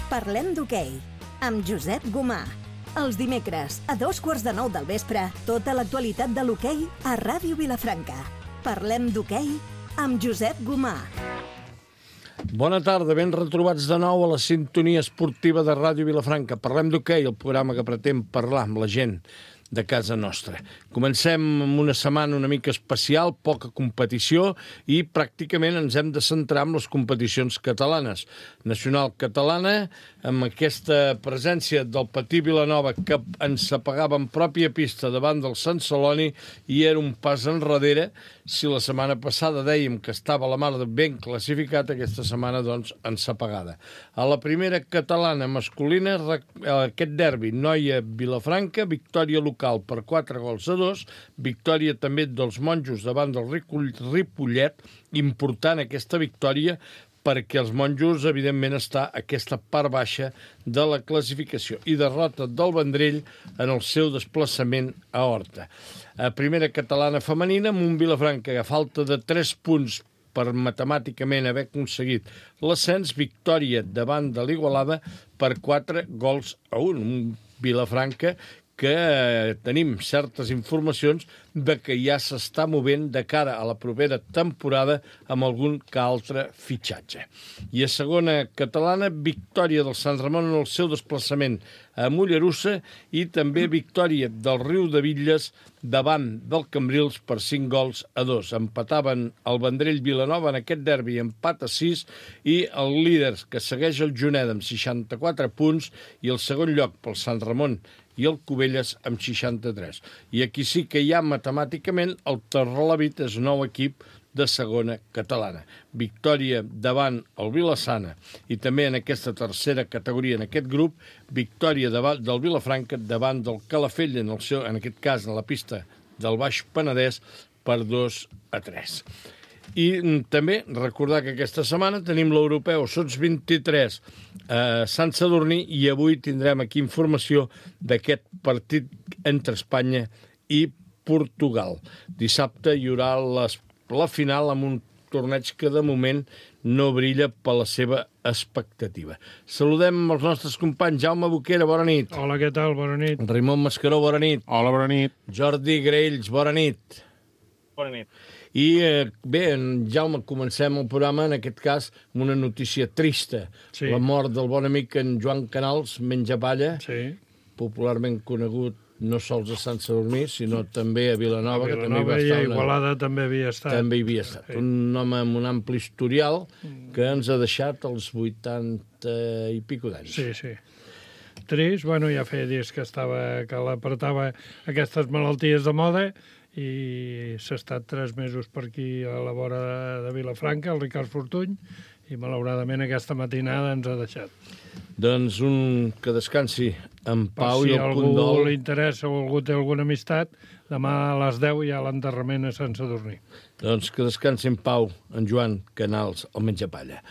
Parlem d'hoquei, amb Josep Gomà. Els dimecres, a 8:45 del vespre, tota l'actualitat de l'hoquei a Ràdio Vilafranca. Parlem d'hoquei amb Josep Gomà. Bona tarda, ben retrobats de nou a la sintonia esportiva de Ràdio Vilafranca. Parlem d'hoquei, el programa que pretén parlar amb la gent de casa nostra. Comencem amb una setmana una mica especial, poca competició, i pràcticament ens hem de centrar en les competicions catalanes. Nacional catalana, amb aquesta presència del Patí Vilanova, que ens apagava en pròpia pista davant del Sant Celoni, i era un pas enrere. Si la setmana passada dèiem que estava la mar ben classificat, aquesta setmana, doncs, ens apagada. A la primera catalana masculina, aquest derbi, Noia-Vilafranca, victòria local per 4-2, victòria també dels monjos davant del Ripollet, important aquesta victòria, perquè els monjos, evidentment, està a aquesta part baixa de la classificació, i derrota del Vendrell en el seu desplaçament a Horta. A primera catalana femenina, amb un Vilafranca a falta de 3 punts per matemàticament haver aconseguit l'ascens, victòria davant de l'Igualada per 4-1. Un Vilafranca que tenim certes informacions de que ja s'està movent de cara a la propera temporada amb algun que altre fitxatge. I a segona catalana, victòria del Sant Ramon en el seu desplaçament a Mollerussa, i també victòria del Riu de Bitlles davant del Cambrils per 5-2. Empataven el Vendrell Vilanova en aquest derbi, empat a 6, i el líder, que segueix el Juneda amb 64 punts, i el segon lloc pel Sant Ramon i el Cubelles amb 63. I aquí sí que ja matemàticament el Torrelavit és nou equip de segona catalana. Victòria davant el Vilassana, i també en aquesta tercera categoria, en aquest grup, victòria del Vilafranca davant del Calafell, en aquest cas en la pista del Baix Penedès, per 2-3. I també recordar que aquesta setmana tenim l'Europeu Sots 23 a Sant Sadurní, i avui tindrem aquí informació d'aquest partit entre Espanya i Portugal. Dissabte hi haurà la final amb un torneig que de moment no brilla per la seva expectativa. Saludem els nostres companys. Jaume Boquera, bona nit. Hola, què tal? Bona nit. Raimon Mascaró, bona nit. Hola, bona nit. Jordi Graells, bona nit. Bona nit. I bé, Jaume, comencem el programa, en aquest cas, amb una notícia trista. Sí. La mort del bon amic en Joan Canals, Menjapalla, Sí. popularment conegut no sols a Sant Sadurní, sinó també a Vilanova, que també Vilanova va i estar... a Igualada també havia estat. També hi havia estat. Sí. Un home amb un ampli historial que ens ha deixat als 80 i pico d'anys. Sí, sí. Trist, bueno, ja feia dies que l'apretava aquestes malalties de moda, i s'ha estat 3 mesos per aquí a la vora de Vilafranca, el Ricard Fortuny, i malauradament aquesta matinada ens ha deixat. Doncs que descansi en pau, Si i a el algú condol. li interessa o algú té alguna amistat, demà a les 10 hi ha l'enterrament a Sant Sadurní. Doncs que descansi en pau en Joan Canals, el Menjapalla.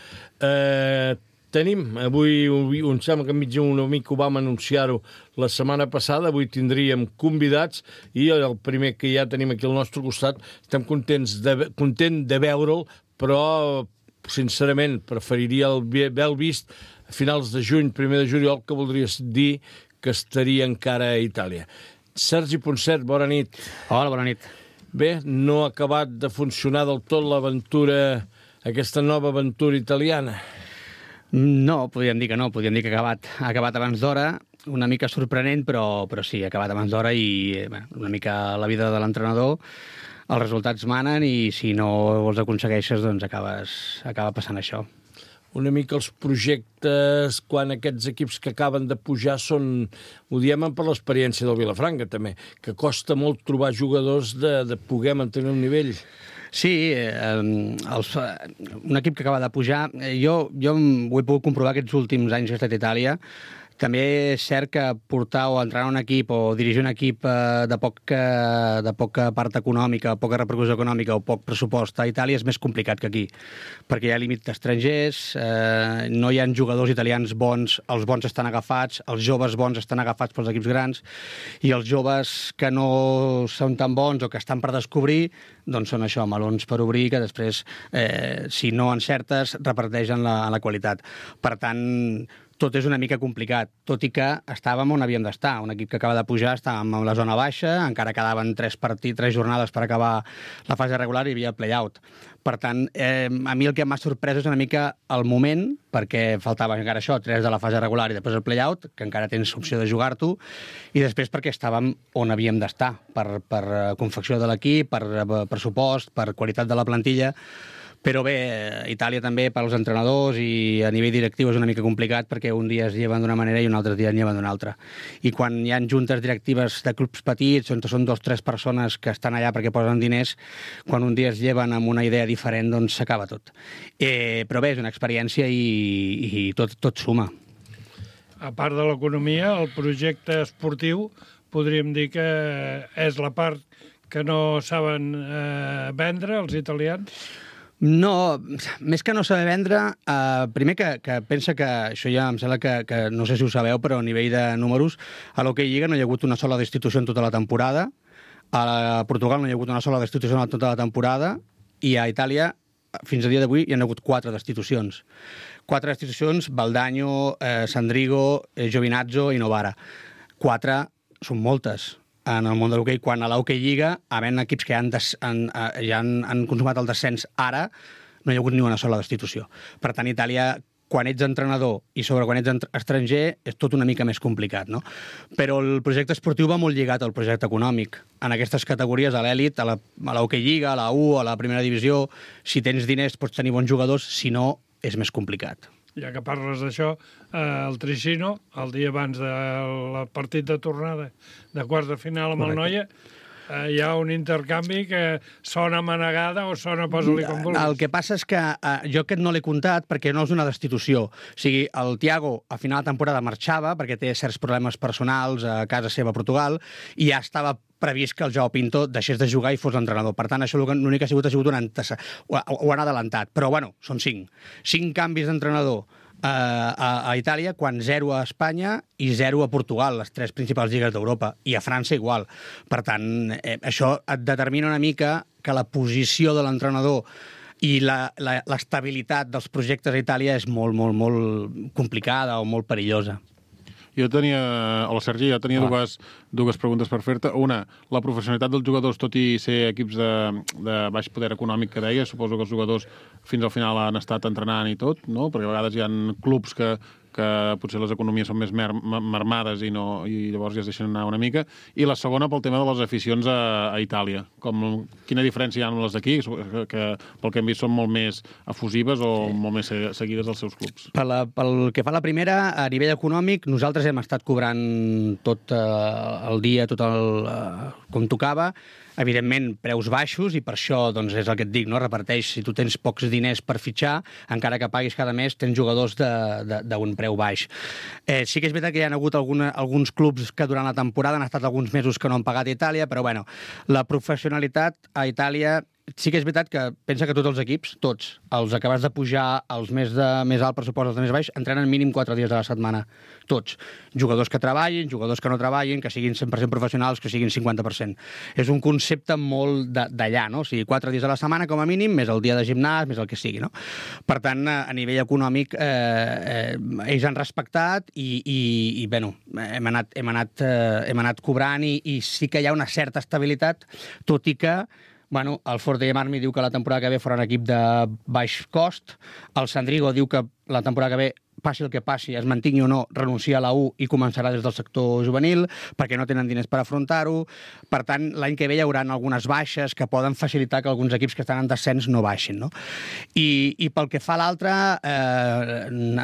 Tenim, avui, em sembla que enmig una mica ho vam anunciar-ho la setmana passada, avui tindríem convidats, i el primer que ja tenim aquí al nostre costat, estem content de veure'l, però, sincerament, preferiria haver-lo vist a finals de juny, 1 de juliol, que voldria dir que estaria encara a Itàlia. Sergi Ponset, bona nit. Hola, bona nit. Bé, no ha acabat de funcionar del tot l'aventura, aquesta nova aventura italiana. No, podríem dir que no, podríem dir que ha acabat abans d'hora, una mica sorprenent, però sí, ha acabat abans d'hora, i una mica la vida de l'entrenador, els resultats manen, i si no els aconsegueixes, doncs acaba passant això. Una mica els projectes, quan aquests equips que acaben de pujar són, ho diem per l'experiència del Vilafranca també, que costa molt trobar jugadors de poder mantenir un nivell. Sí, un equip que acaba de pujar, jo ho he pogut comprovar aquests últims anys que he estat a Itàlia. També és cert que portar o entrenar un equip o dirigir un equip de poca part econòmica, poca repercussió econòmica o poc pressupost a Itàlia és més complicat que aquí, perquè hi ha límit d'estrangers, no hi ha jugadors italians bons, els bons estan agafats, els joves bons estan agafats pels equips grans, i els joves que no són tan bons o que estan per descobrir, doncs són això, melons per obrir, que després, si no encertes, reparteixen la qualitat. Per tant, tot és una mica complicat, tot i que estàvem on havíem d'estar. Un equip que acaba de pujar, estàvem en la zona baixa, encara quedaven 3 jornades per acabar la fase regular i hi havia play-out. Per tant, a mi el que m'ha sorprès és una mica el moment, perquè faltava encara això, 3 de la fase regular i després el play-out, que encara tens opció de jugar-t'ho, i després perquè estàvem on havíem d'estar, per confecció de l'equip, per pressupost, per qualitat de la plantilla. Però bé, Itàlia també per als entrenadors i a nivell directiu és una mica complicat perquè un dia es lleven d'una manera i un altre dia es lleven d'una altra. I quan hi ha juntes directives de clubs petits, on són 2 o 3 persones que estan allà perquè posen diners, quan un dia es lleven amb una idea diferent, doncs s'acaba tot. Però bé, és una experiència i tot suma. A part de l'economia, el projecte esportiu podríem dir que és la part que no saben vendre els italians? No, més que no saber vendre, primer que pensa que, això ja em sembla que no sé si ho sabeu, però a nivell de números, a l'Hockey Lliga no hi ha hagut una sola destitució en tota la temporada, a Portugal no hi ha hagut una sola destitució en tota la temporada, i a Itàlia, fins a dia d'avui, hi ha hagut 4 destitucions. 4 destitucions, Baldaño, Sandrigo, Giovinazzo i Novara. 4 són moltes en el món de l'hoquei, quan a l'Hockey Lliga, havent equips que ja han consumat el descens ara, no hi ha hagut ni una sola destitució. Per tant, Itàlia, quan ets entrenador i sobre quan ets estranger, és tot una mica més complicat, no? Però el projecte esportiu va molt lligat al projecte econòmic. En aquestes categories, a l'elit, a l'Hockey Lliga, a la U, a la primera divisió, si tens diners pots tenir bons jugadors, si no, és més complicat. Ja que parles d'això, el Tricino, el dia abans del partit de tornada de quarts de final amb el Noia, hi ha un intercanvi que sona manegada o sona posa-li com vulguis. El que passa és que jo aquest no l'he comptat perquè no és una destitució. O sigui, el Thiago a final de temporada marxava perquè té certs problemes personals a casa seva a Portugal i ja estava previst que el Joao Pinto deixés de jugar i fos l'entrenador. Per tant, això l'únic que ha sigut un ho han adelantat. Però, bueno, són 5. 5 canvis d'entrenador a Itàlia, quan 0 a Espanya i 0 a Portugal, les 3 principals lligues d'Europa, i a França igual. Per tant, això et determina una mica que la posició de l'entrenador i l'estabilitat dels projectes a Itàlia és molt, molt, molt complicada o molt perillosa. Jo tenia, hola Sergi, dues preguntes per fer-te. Una, la professionalitat dels jugadors, tot i ser equips de baix poder econòmic que deia, suposo que els jugadors fins al final han estat entrenant i tot, no? Perquè a vegades hi ha clubs que potser les economies són més mermades i llavors ja es deixen anar una mica. I la segona, pel tema de les aficions a Itàlia. Quina diferència hi ha amb les d'aquí, que pel que hem vist són molt més efusives o molt més seguides dels seus clubs? Pel que fa a la primera, a nivell econòmic, nosaltres hem estat cobrant tot el dia, com tocava, evidentment, preus baixos, i per això doncs, és el que et dic, no? Reparteix, si tu tens pocs diners per fitxar, encara que paguis cada mes, tens jugadors d'un preu baix. Sí que és veritat que hi ha hagut alguns clubs que durant la temporada han estat alguns mesos que no han pagat a Itàlia, però bueno, la professionalitat a Itàlia sí que és veritat que pensa que tots els equips, tots, els acabats de pujar, els més alt pressupost, els de més baix, entrenen mínim 4 dies a la setmana. Tots. Jugadors que treballin, jugadors que no treballin, que siguin 100% professionals, que siguin 50%. És un concepte molt d'allà, no? O sigui, 4 dies a la setmana, com a mínim, més el dia de gimnàs, més el que sigui, no? Per tant, a nivell econòmic, ells han respectat i bueno, hem anat cobrant i sí que hi ha una certa estabilitat, tot i que bueno, el Ford de Marmi diu que la temporada que ve farà un equip de baix cost, el Sandrigo diu que la temporada que ve, passi el que passi, es mantingui o no, renuncia a la U i començarà des del sector juvenil, perquè no tenen diners per afrontar-ho. Per tant, l'any que ve hi haurà algunes baixes que poden facilitar que alguns equips que estan en descens no baixin, no? I pel que fa a l'altre,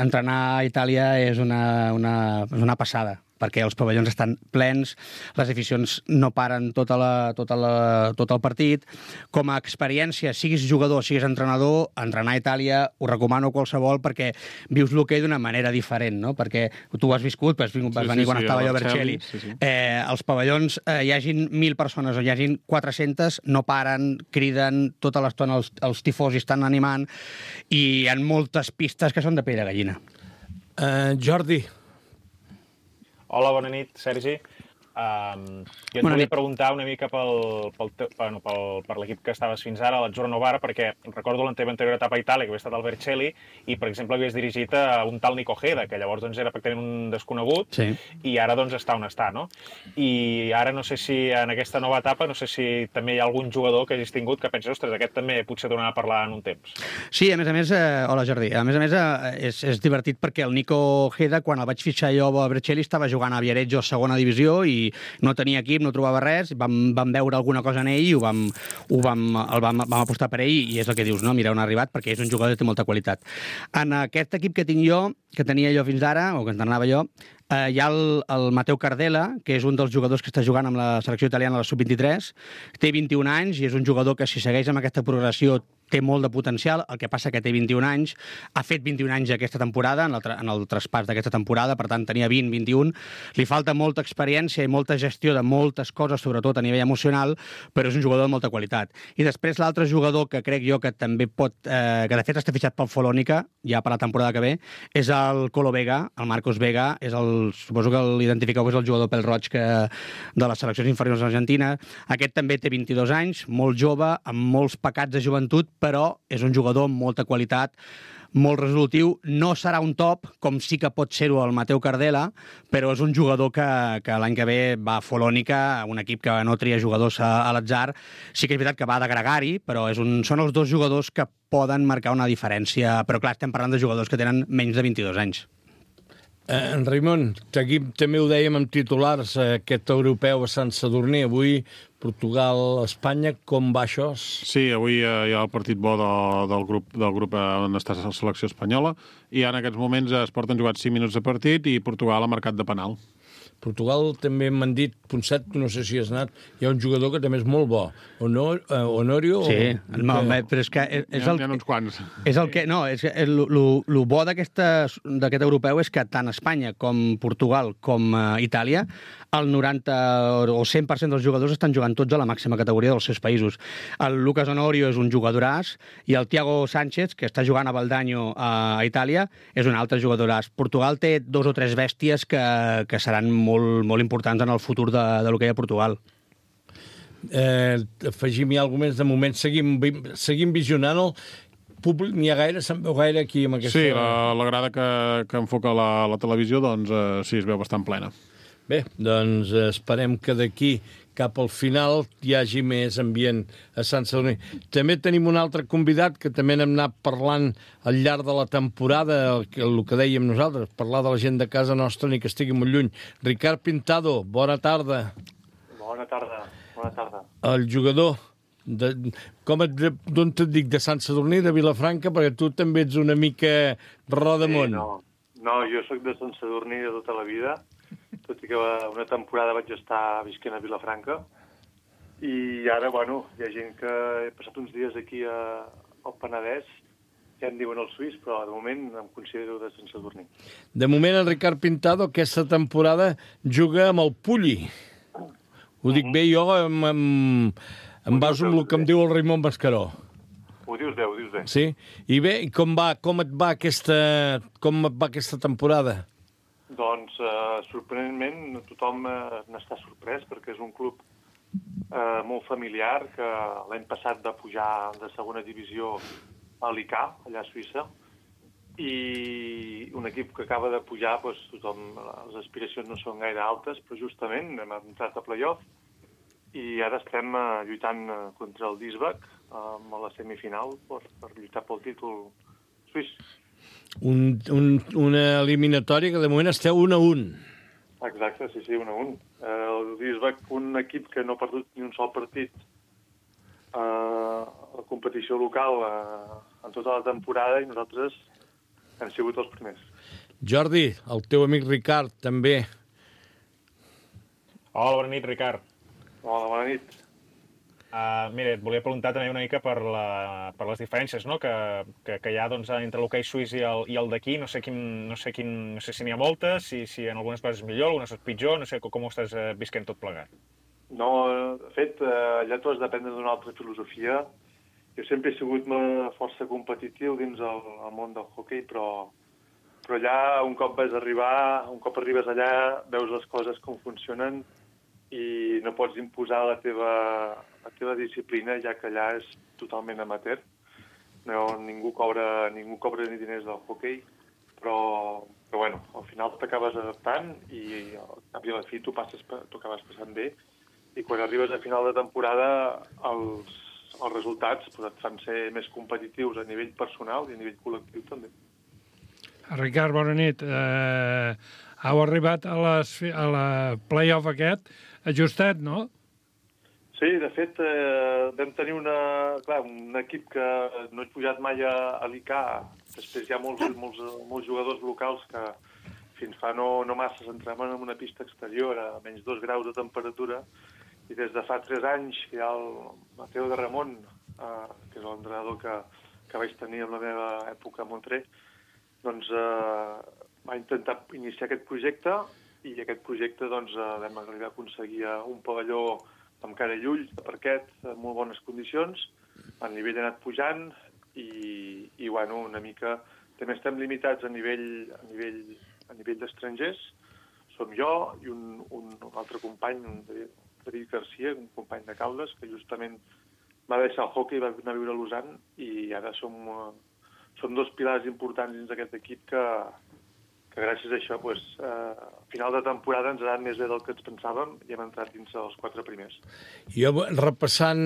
entrenar a Itàlia és una passada, perquè els pavellons estan plens, les aficions no paren tot el partit. Com a experiència, siguis jugador, siguis entrenador, entrenar a Itàlia ho recomano a qualsevol perquè vius l'hoquei d'una manera diferent, no? Perquè tu ho has viscut, vas venir quan estava jo a Vercelli. Els pavellons, hi hagin 1.000 persones o hi hagin 400, no paren, criden, tota l'estona els tifosi estan animant i hi ha moltes pistes que són de pell de gallina. Jordi. Hola, bona nit, Sergi. Jo et volia preguntar una mica per l'equip que estaves fins ara, l'Azzurro Novara, perquè recordo la teva anterior etapa a Itàlia, que havia estat al Vercelli, i, per exemple, havies dirigit a un tal Nico Heda, que llavors doncs, era pràcticament un desconegut, i ara doncs, està on està, no? I ara no sé si en aquesta nova etapa, no sé si també hi ha algun jugador que hagis tingut que penses, ostres, aquest també potser tornarà a parlar en un temps. Sí, a més, hola Jordi, a més, és divertit perquè el Nico Heda, quan el vaig fitxar jo a Vercelli, estava jugant a Viareggio a segona divisió i no tenia equip, no trobava res, vam veure alguna cosa en ell i vam apostar per ell i és el que dius, no? Mira on ha arribat, perquè és un jugador que té molta qualitat. En aquest equip que tinc jo, que tenia jo fins ara, o que entrenava jo, hi ha el Mateu Cardela, que és un dels jugadors que està jugant amb la selecció italiana a la Sub-23, té 21 anys i és un jugador que si segueix amb aquesta progressió té molt de potencial, el que passa que té 21 anys, ha fet 21 anys aquesta temporada, en el traspàs d'aquesta temporada, per tant tenia 20, 21, li falta molta experiència i molta gestió de moltes coses, sobretot a nivell emocional, però és un jugador de molta qualitat. I després l'altre jugador que crec jo que també pot, que de fet està fitxat pel Folònica, ja per la temporada que ve, és el Colo Vega, el Marcos Vega, suposo que l'identifiqueu, és el jugador pèl roig de les seleccions inferiors argentines. Aquest també té 22 anys, molt jove, amb molts pecats de joventut, però és un jugador amb molta qualitat, molt resolutiu. No serà un top, com sí que pot ser-ho el Mateu Cardela, però és un jugador que l'any que ve va a Folònica, un equip que no tria jugadors a l'atzar. Sí que és veritat que va de gregari, però són els dos jugadors que poden marcar una diferència. Però clar, estem parlant de jugadors que tenen menys de 22 anys. En Raimon, també ho dèiem amb titulars, aquest europeu a Sant Sadurní, avui Portugal-Espanya, com va això? Sí, avui hi ha el partit bo del grup on està la selecció espanyola, i en aquests moments es porten jugats 5 minuts de partit i Portugal ha marcat de penal. Portugal també m'han dit, Ponset, no sé si has anat, hi ha un jugador que també és molt bo. Honorio? Sí, però és que és el... N'hi ha uns quants. És el que... No, el bo d'aquest europeu és que tant Espanya com Portugal com Itàlia, el 90 o 100% dels jugadors estan jugant tots a la màxima categoria dels seus països. El Lucas Honorio és un jugadoràs i el Thiago Sánchez, que està jugant a Valdaño a Itàlia, és un altre jugadoràs. Portugal té 2 o 3 bèsties que seran molt importants en el futur de l'hoquei a Portugal. Afegim-hi alguna més. De moment seguim visionant el públic. N'hi ha gaire? Se'n veu gaire aquí amb aquesta... Sí, la grada que enfoca la televisió, doncs sí, es veu bastant plena. Bé, doncs esperem que d'aquí cap al final hi hagi més ambient a Sant Sadurní. També tenim un altre convidat que també n'hem anat parlant al llarg de la temporada, el que dèiem nosaltres, parlar de la gent de casa nostra ni que estigui molt lluny. Ricard Pintado, bona tarda. Bona tarda. El jugador, d'on et dic, de Sant Sadurní, de Vilafranca, perquè tu també ets una mica rodamont. Sí, no, jo sóc de Sant Sadurní de tota la vida, tot i que una temporada vaig estar visquent a Vilafranca, i ara, bueno, hi ha gent que he passat uns dies aquí al Penedès, ja em diuen el suís, però de moment em considero de Sant Sadurní. De moment, el Ricard Pintado aquesta temporada juga amb el Pulli. Ho dic bé jo, em baso amb el que em diu el Raimon Mascaró. Ho dius bé. Sí? I bé, com et va aquesta temporada? Doncs, sorprenentment, tothom n'està sorprès, perquè és un club molt familiar, que l'any passat va pujar de segona divisió a l'ICA, allà a Suïssa, i un equip que acaba de pujar, doncs, les aspiracions no són gaire altes, però justament hem entrat a playoff, i ara estem lluitant contra el Duisburg a la semifinal per lluitar pel títol suís. Una eliminatòria que de moment esteu 1-1. Exacte, sí, 1-1. El Duisburg, un equip que no ha perdut ni un sol partit a la competició local en tota la temporada, i nosaltres hem sigut els primers. Jordi, el teu amic Ricard, també. Hola, bona nit, Ricard. Hola, bona nit. Mira, et volia preguntar també una mica per les diferències, no? que hi ha doncs, entre l'hoquei suís i el d'aquí. No sé si n'hi ha moltes, si en algunes coses és millor, algunes és pitjor, no sé com ho estàs visquent tot plegat. No, de fet, allà tu has d'aprendre d'una altra filosofia. Jo sempre he sigut força competitiu dins el món del hoquei, però allà, un cop arribes allà, veus les coses com funcionen, i no pots imposar la teva disciplina, ja que allà és totalment amateur. No, ningú cobra ni diners del hoquei, però bueno, al final t'acabes adaptant i al cap i a la fi t'ho acabes passant bé, i quan arribes a final de temporada els resultats et fan ser més competitius a nivell personal i a nivell col·lectiu també. Ricard, bona nit. Heu arribat a la play-off aquest ajustat, no? Sí, de fet, vam tenir un equip que no he pujat mai a l'ICA. Després hi ha molts jugadors locals que fins fa no massa s'entrenaven en una pista exterior a menys 2 graus de temperatura, i des de fa 3 anys hi ha el Mateo de Ramon, que és l'entrenador que vaig tenir en la meva època a Montré, doncs va intentar iniciar aquest projecte, i aquest projecte doncs, vam arribar a aconseguir un pavelló amb cara i ulls, de parquet, en molt bones condicions. El nivell ha anat pujant i bueno, una mica... També estem limitats a nivell d'estrangers. Som jo i un altre company, un David Garcia, un company de Caldes, que justament va deixar el hoquei i va anar a viure a Lausanne, i ara som 2 pilars importants dins d'aquest equip que gràcies a això, a final de temporada ens ha anat més bé del que ens pensàvem i hem entrat dins els 4 primers. Jo, repassant,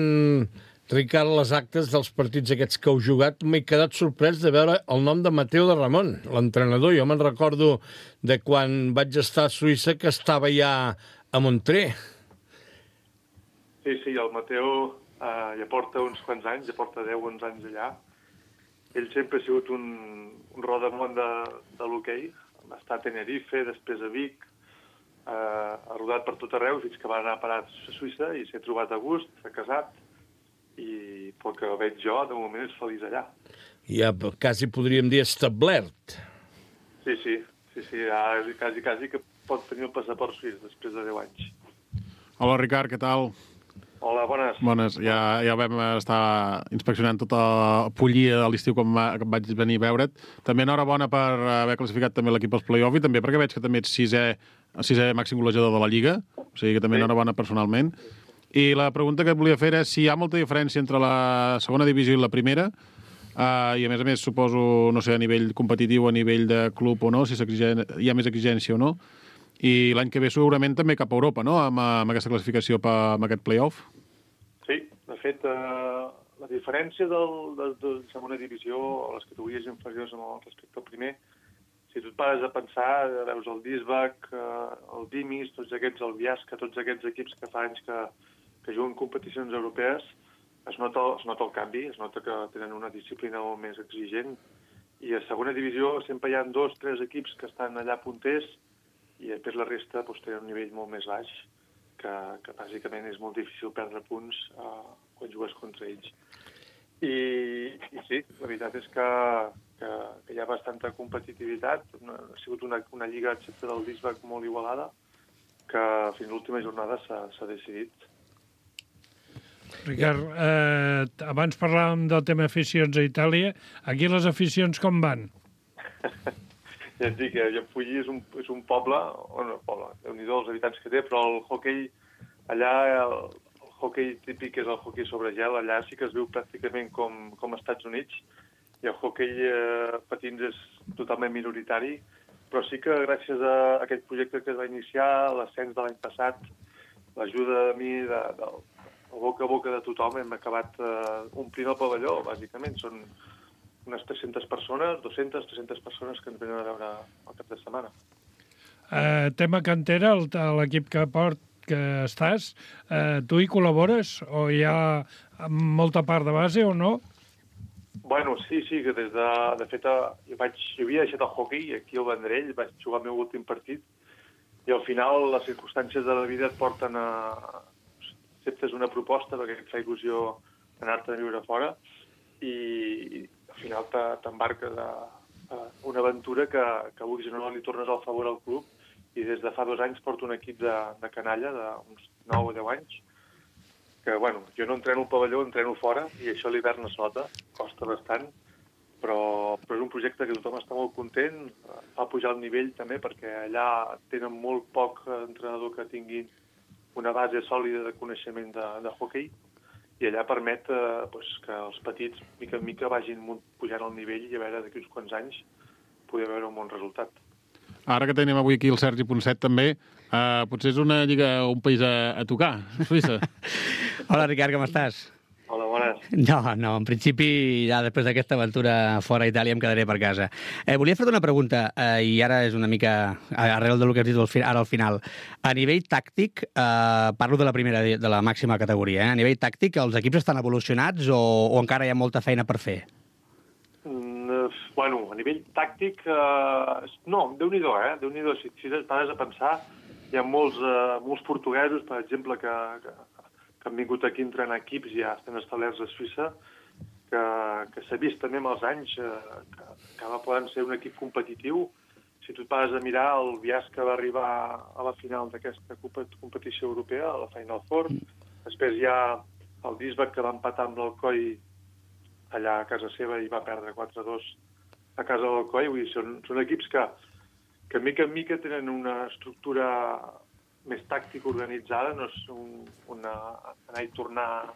Ricard, les actes dels partits aquests que heu jugat, m'he quedat sorprès de veure el nom de Mateo de Ramon, l'entrenador. Jo me'n recordo de quan vaig estar a Suïssa que estava ja a Montré. Sí, el Mateo ja porta uns quants anys, ja porta 10-11 anys allà. Ell sempre ha sigut un rodamont de l'hoquei. Va estar a Tenerife, després a Vic, ha rodat per tot arreu fins que va anar a parar a Suïssa i s'ha trobat a gust, s'ha casat, i pel que veig jo, de moment és feliç allà. Ja quasi podríem dir establert. Sí, quasi que pot tenir el passaport suís després de 10 anys. Hola, Ricard, què tal? Hola, bones. Bones. Ja vam estar inspeccionant tota Pollia de l'estiu quan vaig venir a veure't. També enhorabona per haver classificat també l'equip als play-off, i també perquè veig que també ets sisè màxim golejador de la Lliga, o sigui que també enhorabona personalment. I la pregunta que et volia fer és si hi ha molta diferència entre la segona divisió i la primera, i a més suposo, no sé, a nivell competitiu, a nivell de club o no, si hi ha més exigència o no. I l'any que ve segurament també cap a Europa, no?, amb aquesta classificació amb aquest play-off. Sí, de fet, la diferència de segona divisió o les categories inferiors respecte al primer, si tu et pares a pensar, veus el Disbach, el Dimis, tots aquests, el Biasca, tots aquests equips que fa anys que juguen competicions europees, es nota el canvi, es nota que tenen una disciplina molt més exigent, i a segona divisió sempre hi ha 2-3 equips que estan allà punters, i després la resta tenen un nivell molt més baix, que bàsicament és molt difícil perdre punts quan jugues contra ells. I sí, la veritat és que hi ha bastanta competitivitat. Ha sigut una lliga, excepte del Disbach, molt igualada, que fins a l'última jornada s'ha decidit. Ricard, abans parlàvem del tema aficions a Itàlia. Aquí les aficions com van? Ja et dic, Llafulli és un poble, Déu-n'hi-do els habitants que té, però el hoquei allà, el hoquei típic és el hoquei sobre gel, allà sí que es viu pràcticament com als Estats Units, i el hoquei patins és totalment minoritari, però sí que gràcies a aquest projecte que es va iniciar, l'ascens de l'any passat, l'ajuda de mi, del boca a boca de tothom, hem acabat omplint el pavelló, bàsicament. Són unes 300 persones, 200-300 persones que ens venen a veure el cap de setmana. Tema cantera, l'equip que estàs, tu hi col·labores o hi ha molta part de base o no? Bueno, sí, que de fet, jo havia deixat el hoquei aquí al Vendrell, vaig jugar el meu últim partit, i al final les circumstàncies de la vida et porten a... acceptes una proposta perquè et fa il·lusió anar-te a viure fora, i al final t'embarques a una aventura que avui no li tornes al favor al club, i des de fa 2 anys porto un equip de canalla d'uns 9 o 10 anys, que, bueno, jo no entreno al pavelló, entreno fora, i això a l'hivern es nota, costa bastant, però és un projecte que tothom està molt content, fa pujar el nivell també, perquè allà tenen molt poc entrenador que tinguin una base sòlida de coneixement de hoquei, i allà permet que els petits, mica en mica, vagin pujant al nivell i a veure d'aquí uns quants anys poder veure un bon resultat. Ara que tenim avui aquí el Sergi Ponset també, potser és una lliga, un país a tocar, Suïssa. Hola, Ricard, com estàs? Hola, bones. No, en principi, ja després d'aquesta aventura fora a Itàlia em quedaré per casa. Volia fer-te una pregunta, i ara és una mica arrel del que has dit ara al final. A nivell tàctic, parlo de la primera, de la màxima categoria, a nivell tàctic, els equips estan evolucionats o encara hi ha molta feina per fer? Bueno, a nivell tàctic, no, Déu-n'hi-do, Déu-n'hi-do. Si et pares a pensar, hi ha molts portuguesos, per exemple, que han vingut aquí a entrenar equips i ja estan establerts a Suïssa, que s'ha vist també amb els anys que poden ser un equip competitiu. Si tu et pares a mirar, el Bias que va arribar a la final d'aquesta competició europea, a la Final Four, després hi ha el Duisburg que va empatar amb l'Alcoi allà a casa seva i va perdre 4-2 a casa de l'Alcoi. Vull dir, són equips que mica en mica tenen una estructura més tàctica organitzada, no és una anar i tornar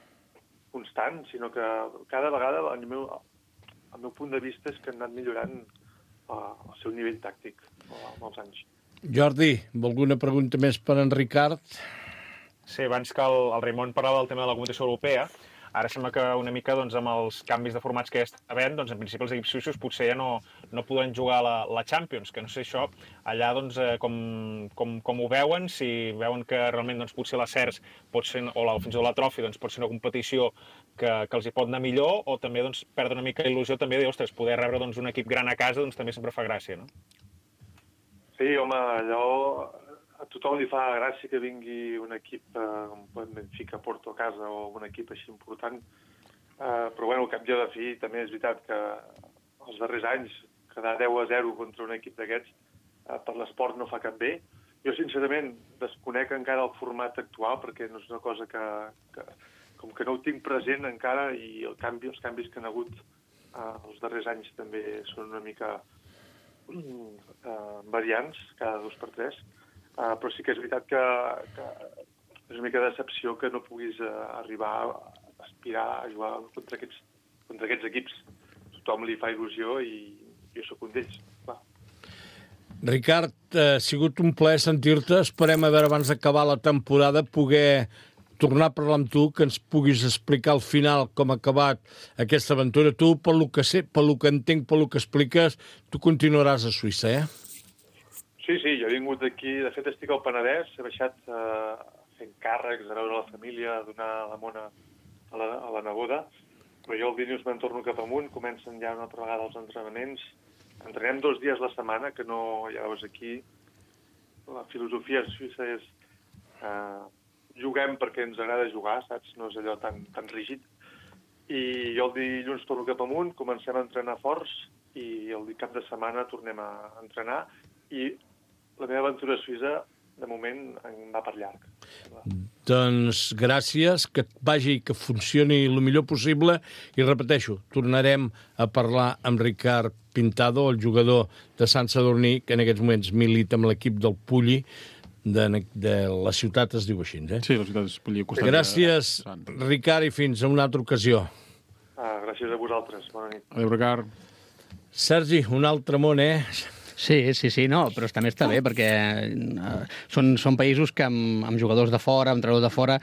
constant, sinó que cada vegada, al meu punt de vista, és que han anat millorant el seu nivell tàctic amb els anys. Jordi, alguna pregunta més per en Ricard? Sí, abans que el Raimon parlava del tema de la competició europea, ara sembla que una mica amb els canvis de formats que hi està havent, en principi els equips suïssos potser ja no podran jugar la Champions, que no sé això, allà com ho veuen, si veuen que realment potser la CERS pot ser, o fins i tot la Trophy pot ser una competició que els hi pot anar millor, o també perdre una mica il·lusió també de, ostres, poder rebre un equip gran a casa també sempre fa gràcia, no? Sí, home, allò a tothom li fa gràcia que vingui un equip com Benfica, Porto a casa o un equip així important, però bueno, al cap i a la fi també és veritat que els darrers anys quedar 10-0 contra un equip d'aquests per l'esport no fa cap bé. Jo sincerament desconec encara el format actual perquè no és una cosa que com que no ho tinc present encara, i els canvis que han hagut els darrers anys també són una mica variants cada 2 per 3. Però sí que és veritat que és una mica de decepció que no puguis arribar a aspirar a jugar contra aquests equips. Tothom li fa il·lusió i jo sóc un d'ells, clar. Ricard, ha sigut un plaer sentir-te. Esperem a veure abans d'acabar la temporada poder tornar a parlar amb tu, que ens puguis explicar al final com ha acabat aquesta aventura. Tu, pel que sé, pel que entenc, pel que expliques, tu continuaràs a Suïssa, Sí, jo he vingut aquí, de fet estic al Penedès, he baixat fent càrrecs, a veure la família, a donar la mona a la neboda, però jo el dilluns me'n torno cap amunt, comencen ja una altra vegada els entrenaments, entrenem 2 dies la setmana, que no, ja veus aquí, la filosofia suïssa és juguem perquè ens agrada jugar, saps? No és allò tan rígid, i jo el dilluns torno cap amunt, comencem a entrenar forts, i el cap de setmana tornem a entrenar, i la meva aventura a Suïssa, de moment, em va per llarg. Doncs gràcies, que et vagi, que funcioni el millor possible, i repeteixo, tornarem a parlar amb Ricard Pintado, el jugador de Sant Sadurní, que en aquests moments milita amb l'equip del Pulli, de la ciutat es diu així, Sí, la ciutat és Pulli. Gràcies, Ricard, i fins a una altra ocasió. Gràcies a vosaltres, bona nit. Adéu, Ricard. Sergi, un altre món, Sí, no, però també està bé, perquè són països que amb jugadors de fora, amb entrenadors de fora,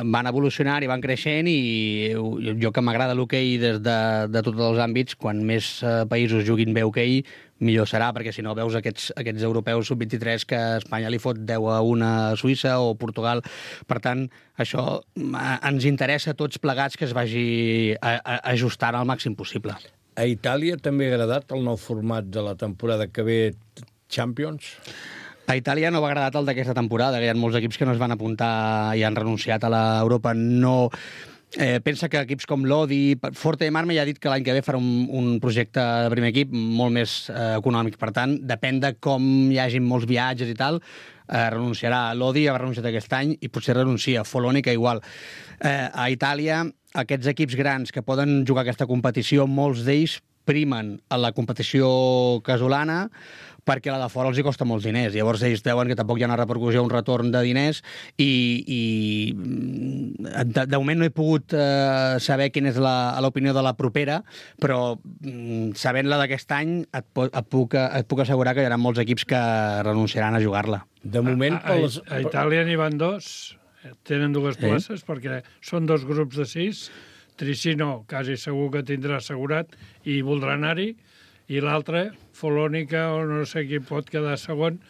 van evolucionant i van creixent, i jo que m'agrada l'hoquei des de tots els àmbits, quan més països juguin bé hoquei, millor serà, perquè si no veus aquests europeus sub-23 que Espanya li fot 10-1 a Suïssa o Portugal. Per tant, això ens interessa a tots plegats que es vagi ajustant al màxim possible. A Itàlia també ha agradat el nou format de la temporada que ve Champions? A Itàlia no va agradat el d'aquesta temporada, que hi ha molts equips que no es van apuntar i han renunciat a l'Europa. No... pensa que equips com l'Odi... Forte Marme ja ha dit que l'any que ve farà un projecte de primer equip molt més econòmic. Per tant, depèn de com hi hagi molts viatges i tal, renunciarà. L'Odi ha renunciat aquest any i potser renuncia. Folònica igual. A Itàlia, aquests equips grans que poden jugar aquesta competició, molts d'ells primen a la competició casolana perquè la de fora els hi costa molts diners. Llavors ells deuen que tampoc hi ha una repercussió, un retorn de diners i de moment no he pogut saber quina és l'opinió de la propera, però sabent-la d'aquest any et puc assegurar que hi haurà molts equips que renunciaran a jugar-la. De moment... A Itàlia n'hi van 2, tenen 2 places perquè són 2 grups de 6. Tricino quasi segur que tindrà assegurat i voldrà anar-hi, i l'altre, Folònica, o no sé qui pot quedar segon,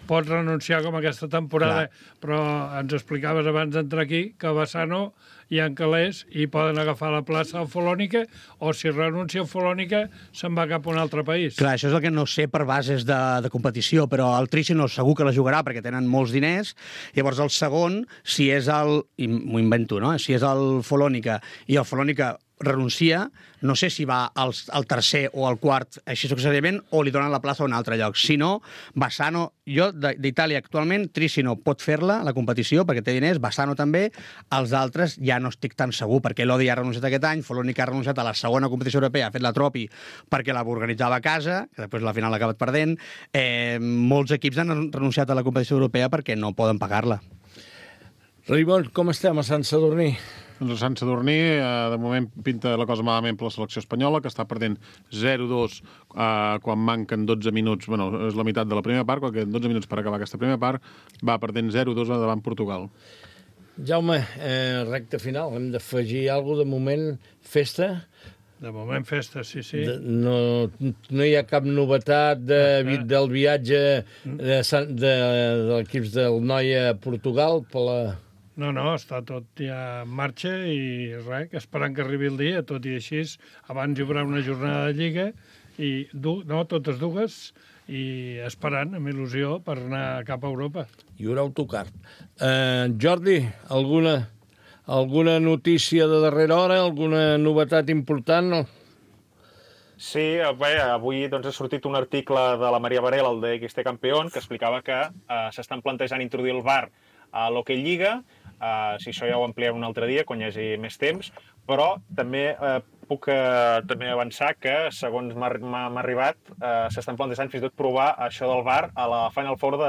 pot renunciar com aquesta temporada. Clar. Però ens explicaves abans d'entrar aquí que a Bassano hi ha calés i poden agafar la plaça a Folònica, o si renuncia a Folònica se'n va cap a un altre país. Clar, això és el que no sé per bases de competició, però el Tricino segur que la jugarà perquè tenen molts diners. Llavors el segon, si és i m'ho invento, no? Si és el Folònica i el Folònica renuncia, no sé si va al tercer o al quart així successivament o li donen la plaça a un altre lloc. Si no, Bassano, jo d'Itàlia actualment, Tricino pot fer-la, la competició, perquè té diners, Bassano també, els altres ja no estic tan segur, perquè l'Odi ha renunciat aquest any, Folònica ha renunciat a la segona competició europea, ha fet la Tropi perquè la organitzava a casa, que després al final l'ha acabat perdent. Molts equips han renunciat a la competició europea perquè no poden pagar-la. Raimon, com estem a Sant Sadurní? Doncs a Sant Sadurní, de moment pinta la cosa malament per la selecció espanyola, que està perdent 0-2 quan manquen 12 minuts, bueno, és la meitat de la primera part, quan queden 12 minuts per acabar aquesta primera part, va perdent 0-2 davant Portugal. Jaume, recta final, hem d'afegir alguna cosa, de moment, festa? De moment festa, sí. No hi ha cap novetat del viatge de l'equip del Noia a Portugal per la... No, està tot ja en marxa i res, esperant que arribi el dia, tot i així, abans hi haurà una jornada de Lliga, i totes dues, i esperant, amb il·lusió, per anar cap a Europa. Hi haurà autocar. Jordi, alguna notícia de darrera hora, alguna novetat important? Sí, bé, avui ha sortit un article de la Maria Varela, el de XT Campeón, que explicava que s'estan plantejant introduir el VAR a l'Hockey Lliga. Si això ja ho ampliem un altre dia, quan hi hagi més temps, però també puc també avançar que, segons m'ha arribat, s'estan plantejant fins i tot provar això del VAR a la Final Four de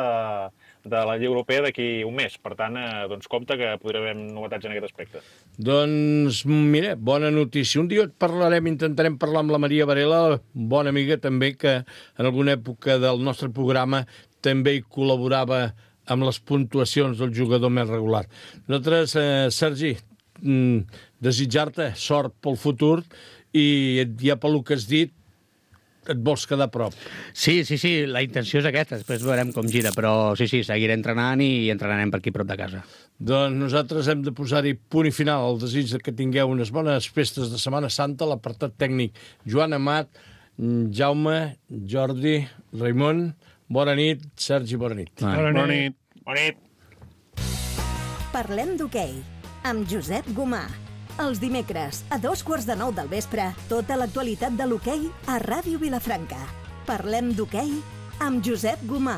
la Lliga Europea d'aquí un mes. Per tant, compte que podrà haver novetats en aquest aspecte. Doncs, mira, bona notícia. Un dia intentarem parlar amb la Maria Varela, bona amiga també, que en alguna època del nostre programa també hi col·laborava amb les puntuacions del jugador més regular. Nosaltres, Sergi, desitjar-te sort pel futur i ja pel que has dit, et vols quedar a prop. Sí, la intenció és aquesta, després veurem com gira, però sí, seguiré entrenant i entrenarem per aquí prop de casa. Doncs nosaltres hem de posar-hi punt i final al desig que tingueu unes bones festes de Setmana Santa, l'apartat tècnic Joan Amat, Jaume, Jordi, Raimon, bona nit, Sergi, bona nit. Bona nit. Parlem d'hoquei, amb Josep Gomà. Els dimecres, a 8:45 del vespre, tota l'actualitat de l'hoquei a Ràdio Vilafranca. Parlem d'hoquei amb Josep Gomà.